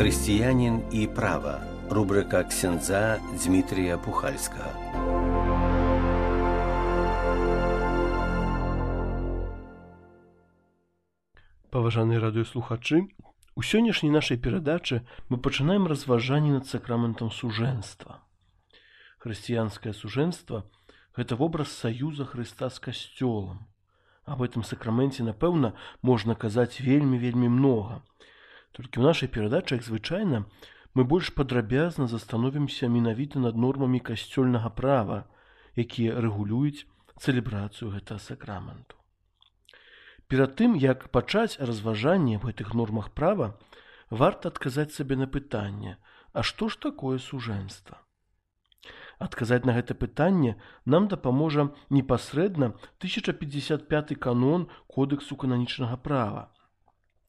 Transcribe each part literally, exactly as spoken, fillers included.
Хрысціянін і права. Рубрика ксяндза Дмитрія Пухальскага. Паважаныя радыёслухачы, у сённяшняй нашай перадачы мы пачынаем разважанне над сакраментам сужэнства. Хрысціянскае сужэнства – гэта вобраз саюза Хрыста з касцёлам. Аб гэтым сакраменце, напэўна, можна казаць вельмі-вельмі многа. Толькі ў нашай перадачы, як звычайна, мы больш падрабязна застановімся менавіта над нормамі касцёльнага права, якія рэгулююць цэлебрацыю гэтага сакраменту. Перад тым, як пачаць разважанне аб гэтых нормах права, варта адказаць сабе на пытанне: а што ж такое сужэнства? Адказаць на гэта пытанне нам дапаможа непасрэдна тысяча пятьдесят пяты канон Кодэксу кананічнага права,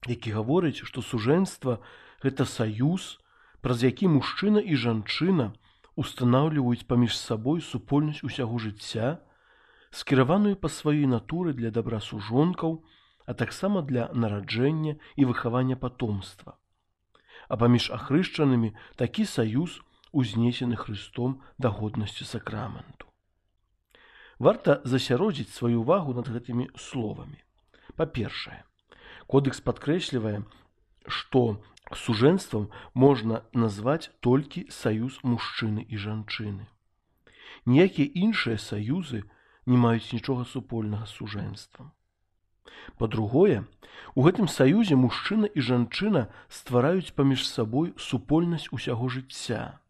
які гаворыць, што сужэнства – гэта саюз, праз які мужчына і жанчына устанаўліваюць паміж сабой супольнасць усяго жыцця, скіраваную па сваёй натуры для дабра сужонкаў, а таксама для нараджэння і выхавання патомства. А паміж ахрышчанымі такі саюз узнесены Хрыстом да годнасці сакраменту. Варта засяродзіць сваю ўвагу над гэтымі словамі. Па-першае, Кодэкс падкрэслівае, што сужэнствам можна назваць толькі саюз мужчыны і жанчыны. Ніякія іншыя саюзы не маюць нічога супольнага з сужэнствам. Па-другое, у гэтым саюзе мужчына і жанчына ствараюць паміж сабой супольнасць усяго жыцця.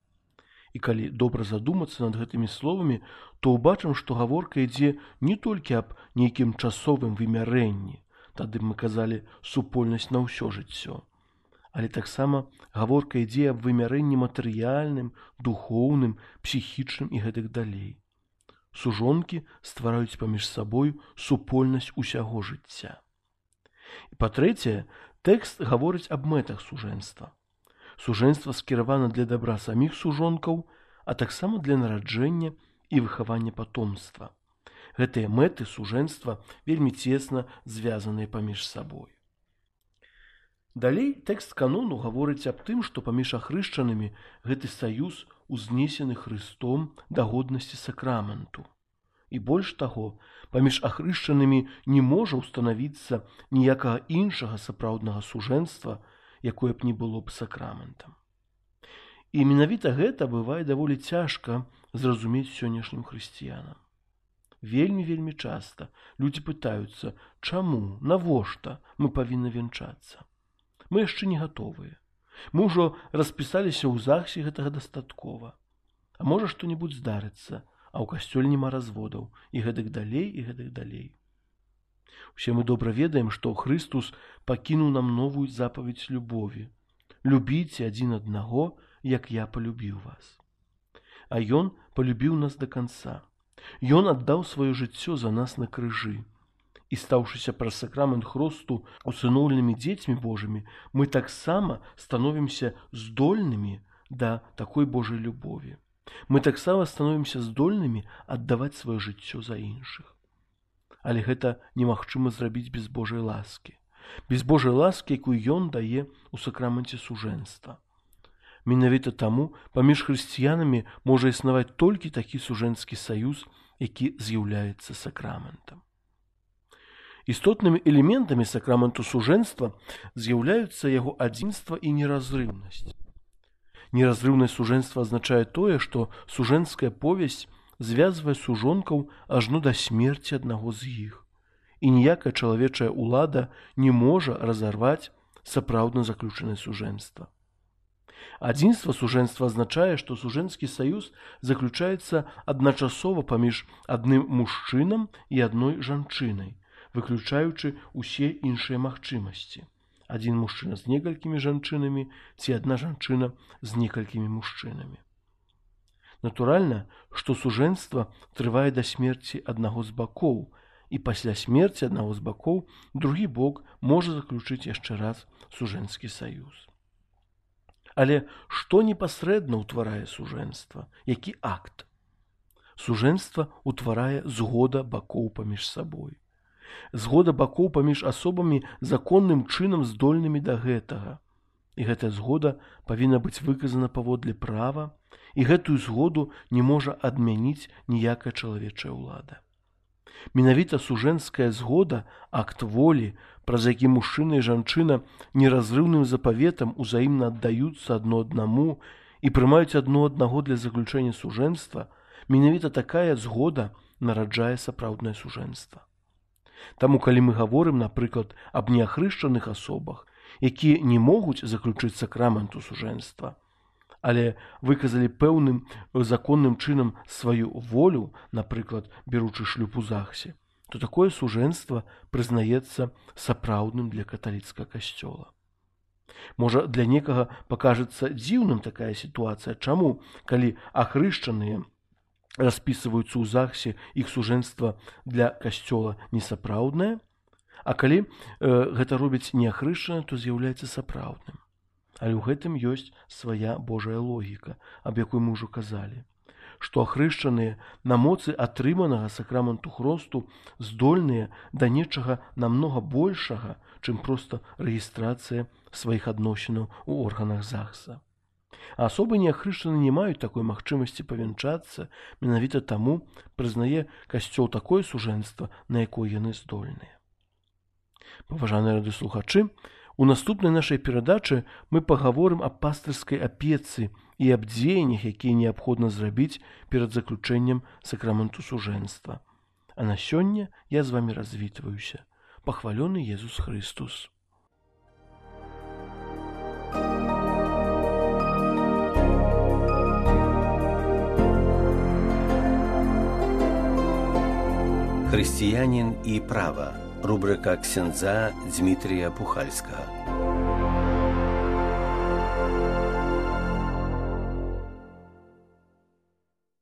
І калі добра задумацца над гэтымі словамі, то ўбачым, што гаворка ідзе не толькі аб нейкім часовым вымярэнні, тады мы казалі супольнасць на ўсё жыццё, але таксама гаворка ідзе аб вымярэнні матэрыяльным, духоўным, псіхічным і гэтак далей. Сужонкі ствараюць паміж сабой супольнасць усяго жыцця. І па-трэцяе, тэкст гаворыць аб мэтах сужэнства. Сужэнства скіравана для дабра саміх сужонкаў, а таксама для нараджэння і выхавання патомства. Гэтыя мэты сужэнства вельмі цесна звязаныя паміж сабой. Далей тэкст канону гаворыць аб тым, што паміж ахрышчанымі гэты саюз узнесены Хрыстом да годнасці сакраменту. І больш таго, паміж ахрышчанымі не можа ўстанавіцца ніякага іншага сапраўднага сужэнства, якое б не было б сакраментам. І менавіта гэта бывае даволі цяжка зразумець сённяшнім хрысціянам. Вельмі-вельмі часта людзі пытаюцца, чаму, навошта мы павінны вянчацца? Мы яшчэ не гатовыя. Мы ўжо распісаліся ў ЗАГСе, гэтага дастаткова. А можа што-небудзь здарыцца, а ў касцёле няма разводаў, і гэтак далей, і гэтак далей. Усе мы добра ведаем, што Хрыстус пакінуў нам новую запаведь любові. Любіце адзін аднаго, як я полюбіў вас. А Ён полюбіў нас да канца. Ён аддаў сваё жыццё за нас на крыжы. І стаўшыся праз сакрамент хросту усыноўленымі дзецьмі Божымі, мы таксама становімся здольнымі да такой Божай любові. Мы таксама становімся здольнымі аддаваць сваё жыццё за іншых. Але гэта немагчыма зрабіць без Божай ласкі. Без Божай ласкі, якую Ён дае ў сакраменце сужэнства. Менавіта таму паміж хрысціянамі можа існаваць толькі такі сужэнскі саюз, які з'яўляецца сакраментам. Істотнымі элементамі сакраменту сужэнства з'яўляюцца яго адзінства і неразрыўнасць. Неразрыўнасць сужэнства азначае тое, што сужэнская повесць звязвае сужонкаў ажно да смерці аднаго з іх, і ніякая чалавечая ўлада не можа разарваць сапраўдна заключанае сужэнства. Адзінства сужэнства азначае, што сужэнскі саюз заключаецца адначасова паміж адным мужчынам і адной жанчынай, выключаючы ўсе іншыя магчымасці. Адзін мужчына з некалькімі жанчынамі ці адна жанчына з некалькімі мужчынамі. Натуральна, што сужэнства трывае да смерці аднаго з бакоў, і пасля смерці аднаго з бакоў другі бок можа заключыць яшчэ раз сужэнскі саюз. Але што непасрэдна ўтварае сужэнства? Які акт? Сужэнства ўтварае згода бакоў паміж сабой. Згода бакоў паміж асобамі законным чынам здольнымі да гэтага. І гэтая згода павінна быць выказана паводле права, і гэтую згоду не можа адмяніць ніякая чалавечая ўлада. Менавіта сужэнская згода, акт волі, праз які мужчына і жанчына неразрыўным запаветам узаемна аддаюцца адно аднаму і прымаюць адно аднаго для заключэння сужэнства, менавіта такая згода нараджае сапраўднае сужэнства. Таму, калі мы гаворым, напрыклад, аб неахрышчаных асобах, якія не могуць заключыць сакраменту сужэнства, але выказалі пэўным законным чынам сваю волю, напрыклад, беручы шлюб у ЗАГСе, то такое сужэнства прызнаецца сапраўдным для каталіцкага касцёла. Можа, для некага пакажацца дзіўным такая сітуацыя. Чаму, калі ахрышчаныя распісваюцца ў ЗАГСе, іх сужэнства для касцёла несапраўднае, а калі э, гэта робіць неахрышчаны, то з'яўляецца сапраўдным. Але ў гэтым ёсць свая Божая логіка, аб якой мы ўжо казалі, што ахрышчаныя на моцы атрыманага сакраменту хросту здольныя да нечага намнога большага, чым проста рэгістрацыя сваіх адносінаў у органах ЗАГСа. А асобы неахрышчаны не маюць такой магчымасці павянчацца, менавіта таму прызнае касцёл такое сужэнства, на якое яны здольныя. Паважаныя радыёслухачы, у наступнай нашай перадачы мы пагаворым аб пастырскай апецы і аб дзеяннях, якія неабходна зрабіць перад заключэннем сакраменту сужэнства. А на сёння я з вамі развітваюся. Пахвалёны Езус Христус. Хрысціянін і права. Рубрика ксяндза Дмитрия Пухальского.